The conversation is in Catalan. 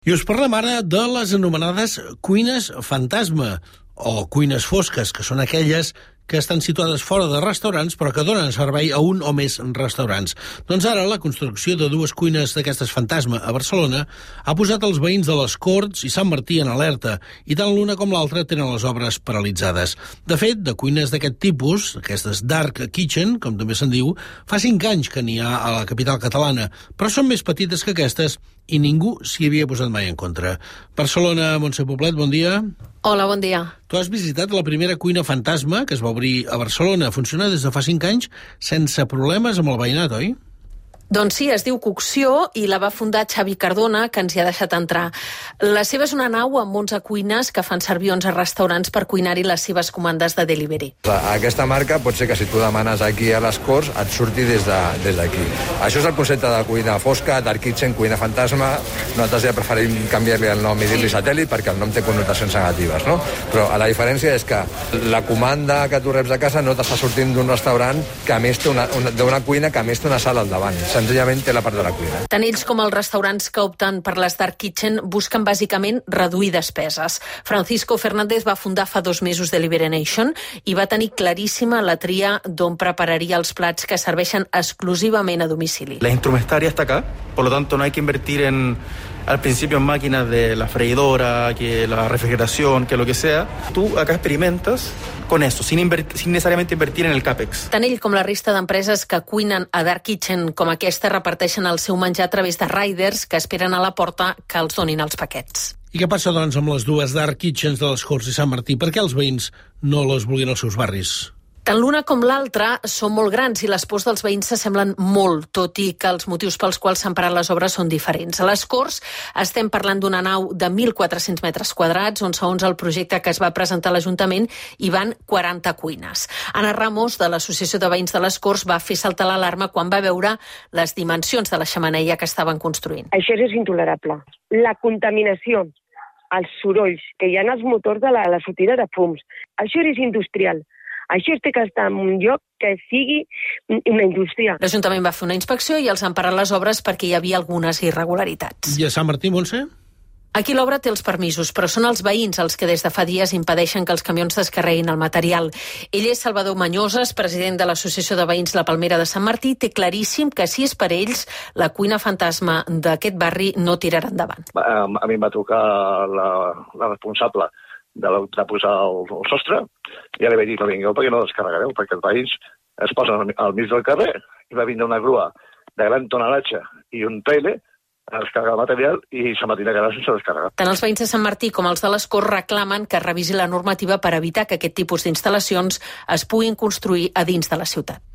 I us parlem ara de les anomenades cuines fantasma o cuines fosques, que són aquelles que estan situades fora de restaurants però que donen servei a un o més restaurants. Doncs ara la construcció de dues cuines d'aquestes fantasma a Barcelona ha posat els veïns de les Corts i Sant Martí en alerta, i tant l'una com l'altra tenen les obres paralitzades. De fet, de cuines d'aquest tipus, aquestes dark kitchen, com també se'n diu, fa 5 anys que n'hi ha a la capital catalana, però són més petites que aquestes i ningú s'hi havia posat mai en contra. Barcelona, Montse Poblet, bon dia. Hola, bon dia. Tu has visitat la primera cuina fantasma que es va obrir a Barcelona. Funciona des de fa 5 anys sense problemes amb el veïnat, oi? Doncs sí, es diu Cocció i la va fundar Xavi Cardona, que ens hi ha deixat entrar. La seva és una nau amb 11 cuines que fan servir 11 restaurants per cuinar-hi les seves comandes de delivery. Aquesta marca pot ser que si tu demanes aquí a les Corts et surti des d'aquí. Això és el concepte de cuina fosca, dark kitchen, cuina fantasma. Nosaltres ja preferim canviar-li el nom i dir-li satèl·lit perquè el nom té connotacions negatives, no? Però la diferència és que la comanda que tu reps de casa no t'està sortint d'un restaurant que a més té d'una cuina que a més té una sala al davant. Senzillament té la part de la cuina. Tant ells com els restaurants que opten per les dark kitchen busquen bàsicament reduir despeses. Francisco Fernández va fundar fa 2 mesos Delivery Nation i va tenir claríssima la tria d'on prepararia els plats que serveixen exclusivament a domicili. La instrumentaria está acá, por lo tanto no hay que invertir al principio en máquinas de la freidora, que la refrigeración, que lo que sea. Tú acá experimentas con eso, sin necesariamente invertir en el CAPEX. Tant ell com la resta d'empreses que cuinen a dark kitchen com aquesta reparteixen el seu menjar a través de riders que esperen a la porta que els donin els paquets. I què passa, doncs, amb les dues dark kitchens de les Corts i Sant Martí? Per què els veïns no les vulguin als seus barris? Tant l'una com l'altra són molt grans i les pors dels veïns s'assemblen molt, tot i que els motius pels quals s'han parat les obres són diferents. A les Corts estem parlant d'una nau de 1.400 metres quadrats, on segons el projecte que es va presentar a l'Ajuntament hi van 40 cuines. Ana Ramos, de l'Associació de Veïns de les Corts, va fer saltar l'alarma quan va veure les dimensions de la xemeneia que estaven construint. Això és intolerable. La contaminació, els sorolls que hi ha als motors de la sortida de fums, això és industrial. Això té que estar en un lloc que sigui una indústria. L'Ajuntament va fer una inspecció i els han parat les obres perquè hi havia algunes irregularitats. I a Sant Martí, Montse? Aquí l'obra té els permisos, però són els veïns els que des de fa dies impedeixen que els camions descarreguin el material. Ell és Salvador Mañoses, president de l'Associació de Veïns La Palmera de Sant Martí, té claríssim que si és per ells, la cuina fantasma d'aquest barri no tirarà endavant. A mi em va trucar la responsable de posar el sostre, i ja li vaig dir, no vingueu perquè no descarregareu, perquè els veïns es posen al mig del carrer i va vindre una grua de gran tonalatge i un trailer a descarregar el material i Sant Martí de quedar sense descarregar. Tant els veïns de Sant Martí com els de les Corts reclamen que es revisi la normativa per evitar que aquest tipus d'instal·lacions es puguin construir a dins de la ciutat.